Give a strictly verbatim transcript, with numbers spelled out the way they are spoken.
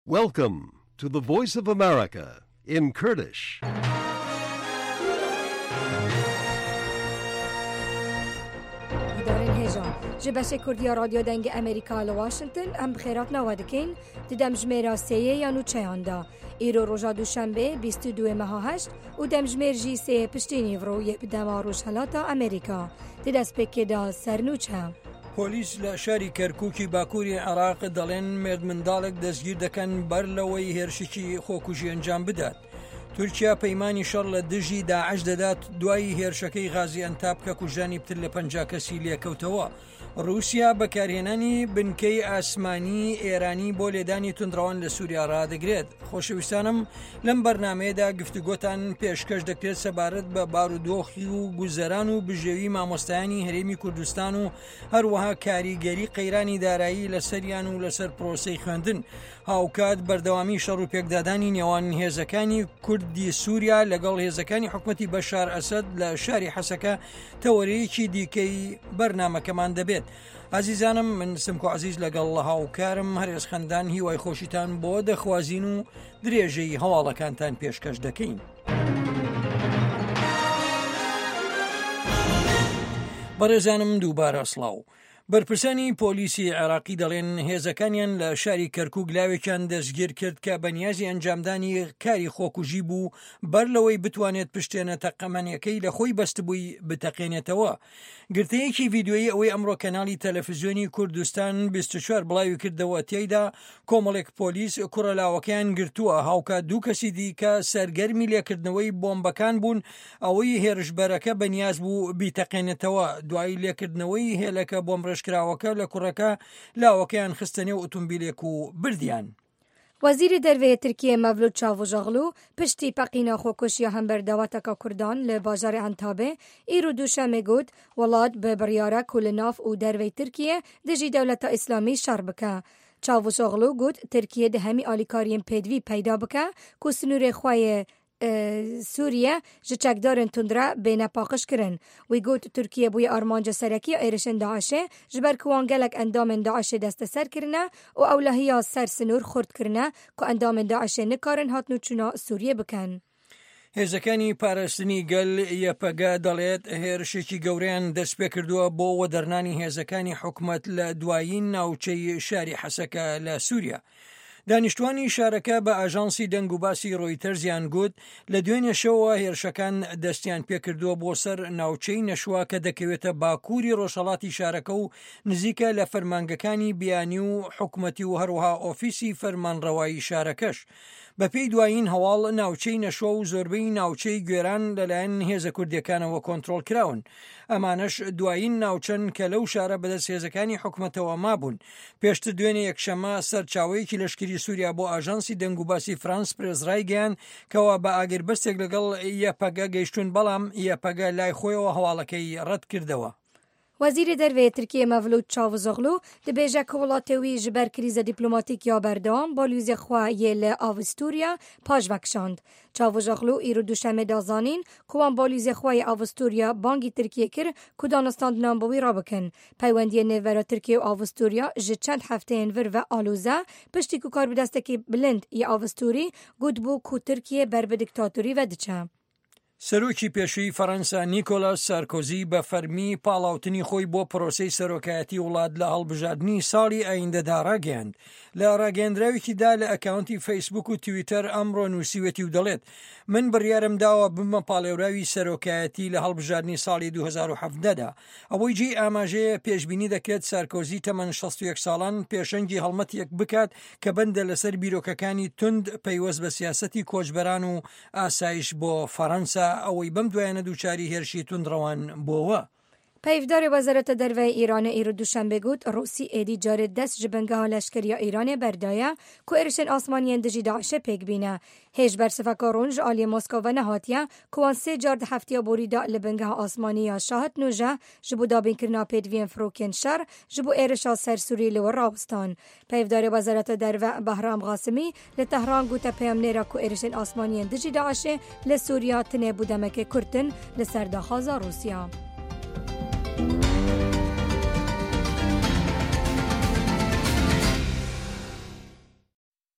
Welcome to the Voice of America in Kurdish. Guhdarên hêja ji beşê Kurdiya Radyo Dengê Amerîka li Washington em bi xêratina we dikin di demjimêra sêyê ya nûçeyan de. Îro roja Duşembê bîst û duê meha heşt û demjimêr jî sêyê piştî nîvro yê bi dema Rojhilata Amerîka. Di destpêkê de ser nûçe. پۆلیس لە شاری کەرکوکی باکووری عێراق دەڵێن مێردمنداڵێک دەستگیر دەکەن بەر لەوەی هێرشێکی خۆکوژی ئەنجام بدات. تورکیا پەیمانی شەڕ لە دژی داعش دەدات دوای هێرشەکەی غازی ئەنتاب کە کوژرانی پتر لە پەنجا کەسی لێکەوتەوە. ڕووسیا بەکارهێنانی بنکەی ئاسمانی ئێرانی بۆ لێدانی توندڕەوان لە سووریا ڕادەگرێت. خۆشەویستانم لەم بەرنمەیەدا گفتوگۆتان پێشکەش دەکرێت سەبارەت بە بارودۆخی و گوزەران و بژێوی مامۆستایانی هەرێمی کوردستان و هەروەها کاریگەری قەیرانی دارایی لەسەریان و لەسەر پرۆسەی خوێندن. هاوکات بەردەوامی شەڕ و پێکدادانی نێوان هێزەکانی کوردی سووریا لەگەڵ هێزەکانی حکومەتی بەشار ئەسەد لە شاری حەسەکە تەوەرەیەکی دیکەی بەرنامەکەمان دەبێت. ئازیزانم من سمکۆ عەزیز لەگەڵ هاوکارم هەرێز خەندان هیوای خۆشیتان بۆ دەخوازین و درێژەی هەواڵەکانتان پێشکەش دەکەین. بەڕێزانم دووبارە سڵاو. بەرپرسانی پۆلیسی عێراقی دەڵێن هێزەکانیان لە شاری کەرکوک لاوێکیان دەستگیر کرد کە بەنیازی ئەنجامدانی کاری خۆکوژی بوو بەر لەوەی بتوانێت پشتێنە تەقەمەنیەکەی لە خۆی بەستبووی بتەقێنێتەوە. گرتەیەکی ڤیدیۆیی ئەوەی ئەمڕۆ کەناڵی تەلەفزیۆنی کوردستان بیست و چوار بڵاوی کردەوە تێیدا کۆمەڵێک پۆلیس کوڕە لاوەکەیان گرتووە، هاوکات دوو کەسی دیکە سەرگەرمی لێکردنەوەی بۆمبەکان بوون ئەوەی هێرشبەرەکە بەنیاز بوو بیتەقێنێتەوە. دوای لێکردنەوەی هێلەکە بۆمڕێژ کراوەکە لە کوڕەکە لاوەکەیان خستە نێو ئۆتۆمبیلێک و بردیان. وەزیری دەرەوەی تورکیە مەڤلود چاووشئۆغلو پشتی پەقینا خۆکوژیە هەمبەر داوەتەکە کوردان لە باژارê Entabê îro duşemê got welat bi biryara ku li nav û derveyê Tirkiye dijî dewleta Îslamî şer bike. Çavuşoglu got Tirkiye di hemî alîkariyên pêdivî peyda bike ku sinûrê xwe yê Sûriye ji çekdarên tundre bêne paqijkirin. Wî got Tirkiye bûye armanca serekî ya êrişên Daişê ji ber ku wan gelek endamên Daişê desteser kirine û ewlehiya ser sinûr xurt kirine ku endamên Daişê nikarin hatinûçûna Sûriyê bikin. هێزەکانی پاراستنی گەل یەپەگە دەڵێت هێرشێکی گەورەیان دەست پێکردووە بۆ وەدەرنانی هێزەکانی حکومەت لە دوایین ناوچەی شاری حەسەکە لە سووریا. دانیشتوانی شارەکە بە ئاژانسی دەنگ و باسی ڕۆیتەرزیان گوت لە دوێنێ شەوە هێرشەکان دەستیان پێکردووە بۆ سەر ناوچەی نەشوە کە دەکەوێتە باکووری ڕۆژهەڵاتی شارەکە و نزیکە لە فەرمانگەکانی بیانی و حکومەتی و هەروەها ئۆفیسی فەرمانڕەوایی شارەکەش. بەپێی دوایین هەواڵ ناوچەی نەشوە و زۆربەی ناوچەی گوێران لەلایەن هێزە کوردیەکانەوە کۆنترۆڵ کراون. ئەمانەش دوایین ناوچەن کە لەو شارە بەدەست هێزەکانی حکومەتەوە مابوون. پێشتر دوێنێ یەکشەممە سەرچاوەیەکی لەشکری سووریا بۆ ئاژانسی دەنگوباسی فرانس پرێس ڕایگەیاند کەوا بە ئاگربەستێک لەگەڵ یەپەگە گەیشتون، بەڵام یەپەگە لای خۆیەوە هەواڵەکەی ڕەت کردەوە. وەزیری دەرەوەی تورکیە مەڤلود چاووشئۆغلو دەبێژە کە وڵاتê wî ji ber krîza dîplomatîk ya berdewam balûzê xwe yê li Avusturya paşve kişand. Çavuşoglu îro duşemê da zanîn ku wan balûzê xwe yê Avusturya bangî Tirkiyê kir ku danistandinan bi wî re bikin. Peywendiyên nêvbera Tirkiye û Avusturya ji çend hefteyên vir ve aloze piştî ku karbidestekî bilind yê Avusturî gotbû ku Tirkiye ber bi dîktatorî ve diçe. سەرۆکی پێشووی فەرەنسا نیکۆلاس سارکۆزی بە فەرمی پاڵاوتنی خۆی بۆ پرۆسەی سەرۆکایەتی وڵات لە هەڵبژاردنی ساڵی ئایندەدا ڕاگەیاند. لە ڕاگەیەندراوێکیدا لە ئەکاونتی فەیسبوک و تویتەر ئەمڕۆ نووسیوێتی و دەڵێت من بڕیارم داوە بمە پاڵێوراوی سەرۆکایەتی لە هەڵبژاردنی ساڵی دوو هەزار و حەڤدەدا. ئەوەی جێی ئاماژەیە پێشبینی دەکرێت سارکۆزی تەمەن شەست و یەک ساڵان پێشەنگی هەڵمەتێک بکات کە بەندە لەسەر بیرۆکەکانی توند پەیوەست بە سیاسەتی کۆچبەران و ئاسایش بۆ فەرەنسا ئەوەی بەم دوایانە دووچاری هێرشی توندڕەوان بۆوە. پەیڤدارê Wezareta Derveyê Îranê îro duşembê got Rûsî êdî carê dest ji bingeha leşkeriya Îranê berdaye ku êrişên asmaniyên dijî Daişê pêk bîne. Hêj bersiveka rûn ji aliyê Moskova ve nehatiye ku wan sê car di hefteya borî de li bingeha asmanî ya Şahid Nûje ji bo dabînkirina pêdiviyên firokên şer ji bo êrişa ser Sûriyê li wir rawestan. Peyvdarê Wezareta Derve Behram Qasimî li Tehran gote peyamnêra ku êrişên asmaniyên dijî Daişê li Sûriya tenê bû demekê kurtin li ser daxwaza Rûsya.